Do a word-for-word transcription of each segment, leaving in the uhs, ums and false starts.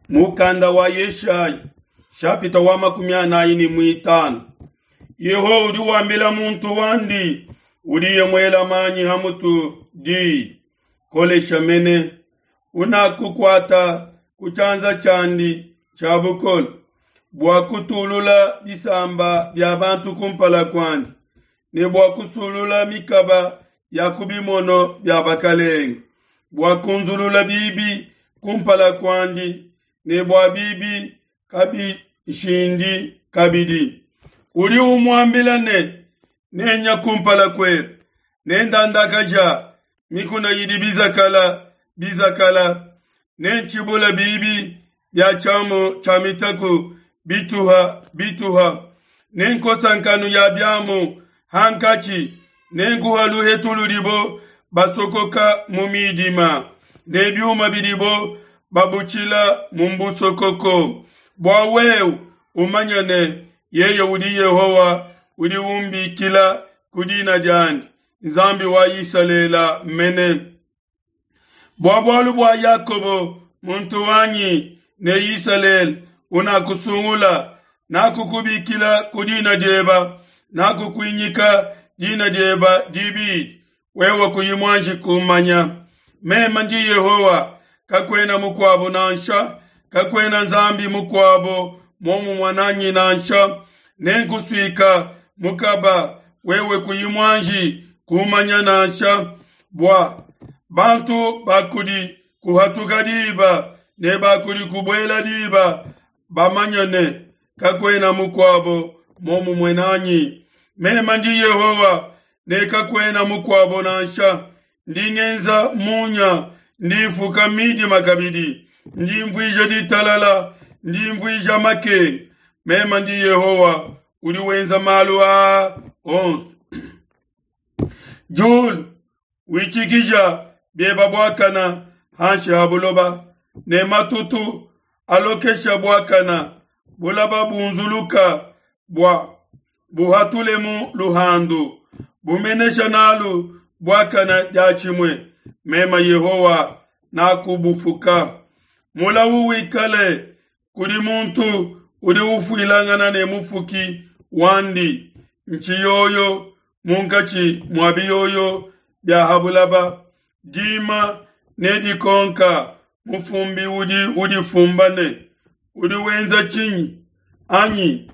Mukanda wa Yeshaya shapita wa makumi anayi ne muitanu. Yehowa udi wambila muntu wandi udiye muela manyi ha mutu di kolesha mene unakukuata ku tshianza tshiandi tshia bukole bua kutulula bisamba bia bantu kumpala kuandi ne bua kusulula mikaba ya ku bimono bia bakalenge bua kunzulula bibi kumpala kuandi ne bua bibi kabishindi kabidi. Udi umuambila ne nenya kumpala kuebe nendandakaja mikuna idi bizakala bizakala nentshibula bibi bia tshiamu tshia mitaku bituha bituha nenkosa nkanu ya biamu hankatshi nenkuha luhetu ludibo basokoka mu midima ne biuma bidibo babutshila mu mbusokoko bua wewe umanye ne yeye udi Yehowa udi umbikila ku dina diandi Nzambi wa Isalele mene. Bua bualu bua Yakobo muntu wanyi ne Isalele unakusungula nakukubikila ku dina dieba nakukuinyika dina dieba dibidi wewe kuyi muanji kumanya. Meme ndi Yehowa kakuena mukuabo nansha kakuena Nzambi mukuabo muomumue nanyi nansha nenkusuika mukaba wewe kuyi muanji kumanya nansha bua bantu bakudi kuhatuka diba ne bakudi kubuela diba bamanye ne kakuena mukuabo muomumue nanyi. Meme ndi Yehowa ne kakuena mukuabo nansha ndi ngenza munya ndi mfuka midima kabidi ndi mvuija ditalala ndi mvuija makenga. Meme ndi Yehowa udi wenza malu aa onso. Diulu witshikija bieba buakana hanshi ha buloba ne matutu alokesha buakana bulaba bunzuluka bua buhatulemu luhandu bumenesha nalu buakana diatshimue. Meme Yehowa nakubufuka. Mulawu wikale kudi muntu udi ufuilangana ne mufuki wandi ntshiyoyo munkatshi mua biyoyo bia ha bulaba. Dima ne dikonka mufumbi udi udifumba ne udi wenza tshinyi anyi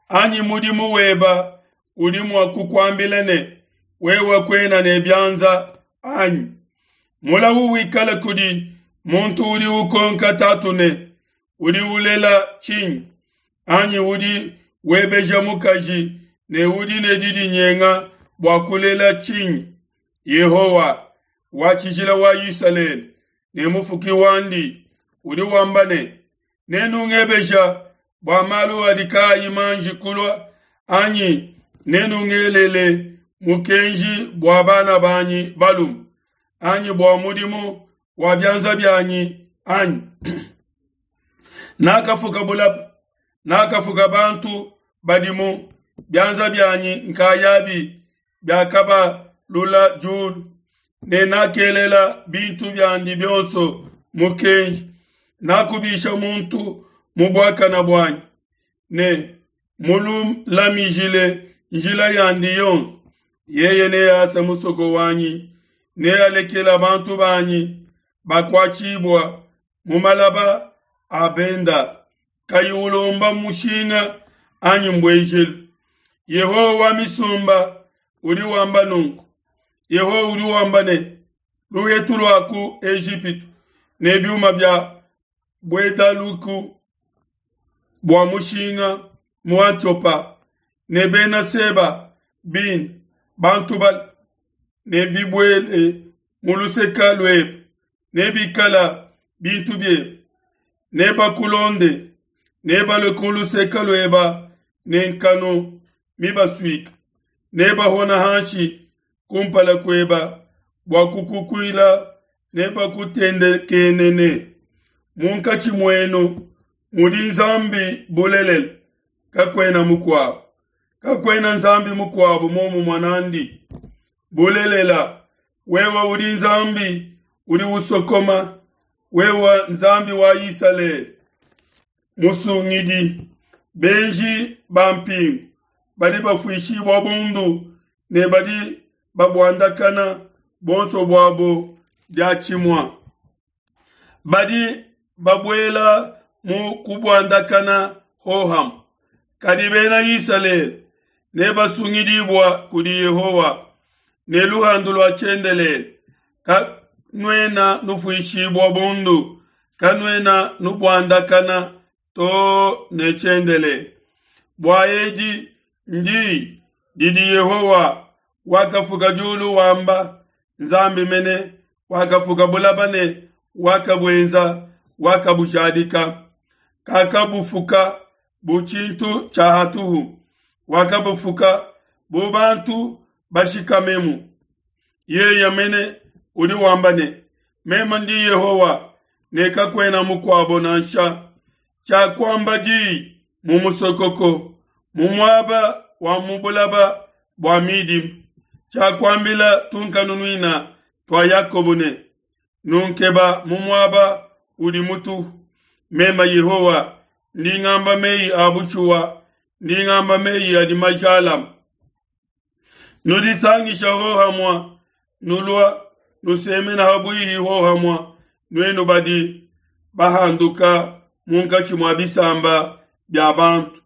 anyi mudimu weba udi mua kukuambila ne wewe kuena ne bianza anyi. Mulawu wikale kudi muntu udi ukonka tatu ne udi ulela tshinyi anyi udi webeja mukaji ne udi ne didinyenga bua kulela tshinyi. Yehowa wa tshijila wa Isalele ne mufuki wandi udi wamba ne nenungebeja bua malu adi kayi manji kulua anyi nenungelele mukenji bua bana banyi balume anyi bua mudimu wa bianza bianyi anyi. Nakafuka bulaba nakafuka bantu badimu bianza bianyi nkayabi biakabalula diulu ne nakelela bintu biandi bionso mukenji. Nakubisha muntu mu buakana buanyi ne mululamijile njila yandi yonso. Yeye nease musoko wanyi nealekela bantu banyi bakuatshibua mu malaba a benda kayi ulomba mushinga anyi mbuejelu. Yehowa wa misumba udi wamba nunku. Yehowa udi wamba ne luhetu lua ku Ejipitu ne biuma bia buetaluku bua mushinga mu Atiopa ne bena Seba bine bantu ba ne bibuele mu luseka luebe ne bikala bintu biebe ne bakulonde ne balue ku luseka lueba ne nkanu mibasuika ne bahona hanshi kumpala kueba bua kukukuila ne bakutendekenene. Munkatshi muenu mudi Nzambi bulelela kakuena mukuabo kakuena Nzambi mukuabo muomumue nandi. Bulelela wewe udi Nzambi udi usokoma wewe Nzambi wa Isalele musungidi. Benji ba mpingu badi bafuishibua bundu ne badi babuandakana buonso buabo diatshimue. Badi babuela mu kubuandakana hohamue. Kadi bena Isalele nebasungidibua kudi Yehowa ne luhandu lua tshiendelele. Kanuena nufuishibua bundu, kanuena nubuandakana too ne tshiendelele. Bua edi ndi didi Yehowa wakafuka diulu wamba, Nzambi mene wakafuka bulaba ne wakabuenza, wakabujadika. Kakabufuka bu tshintu tshia hatuhu, wakabufuka bu bantu bashikamemu. Yeye mene udi wamba ne, meme ndi Yehowa ne kakuena mukuabo nansha. Tshiakuamba diyi mu musokoko, mu muaba wa mu bulaba bua midima. Tshiakuambila tunkanunuina tua Yakobo ne, nunkeba mu muaba udi mutuhu. Meme Yehowa ndi ngamba meyi a bushuwa, ndi ngamba meyi adi majalame. Nudisangisha hohamue, nulua nusemena habuihi hohamue, nuenu badi bahanduka munkatshi mua bisamba bia bantu,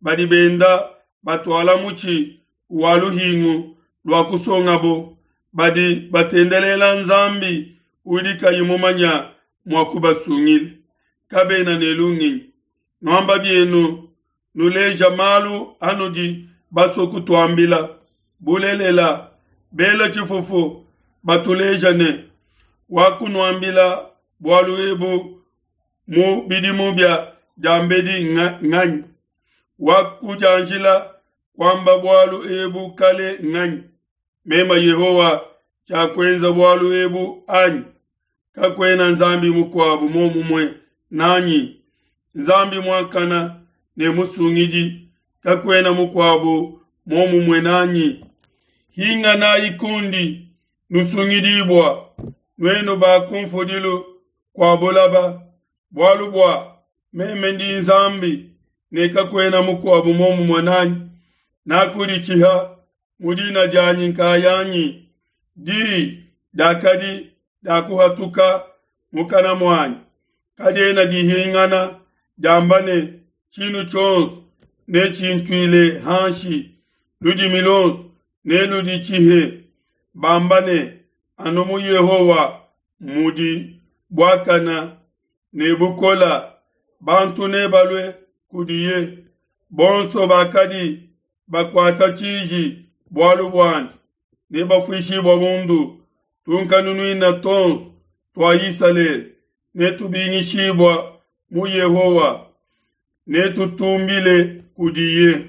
badi benda batuala mutshi wa luhingu lua kusongabo, badi batendelela Nzambi udi kayi mumanya mua kubasungila. Kabena ne lungenyi. Nuamba bienu nuleja malu anudi basue kutuambila. Bulelela, bela tshifufu batuleja ne, wakunuambila bualu ebu mu bidimu bia diambedi nganyi? Wakudianjila kuamba bualu ebu kale nganyi? Meme Yehowa tshiakuenza bualu ebu anyi? Kakuena Nzambi mukuabu muomumue nanyi, Nzambi muakana ne musungidi, kakuena mukuabu muomumue nanyi. Hinganayi kundi, nusungidibua, nuenu ba kunfudilu kua bulaba, bualu bua meme ndi Nzambi ne kakuena mukuabu muomumue nanyi. Nakuditshiha mu dina dianyi nkayanyi, diyi diakadi diakuhatuka mukana muanyi, kadiena dihingana diamba ne, tshinu tshionso netshintuile hanshi, ludimi luonso neluditshihe, bamba ne, anu mu Yehowa mudi buakana ne bukola, bantu nebalue kudiye. Bonso bakadi bakuata tshiji bualu buandi nebafuishibua bundu. Tunkanunuina tuonso tua Isalele netubingishibua mu Yehowa, netutumbile kudiye.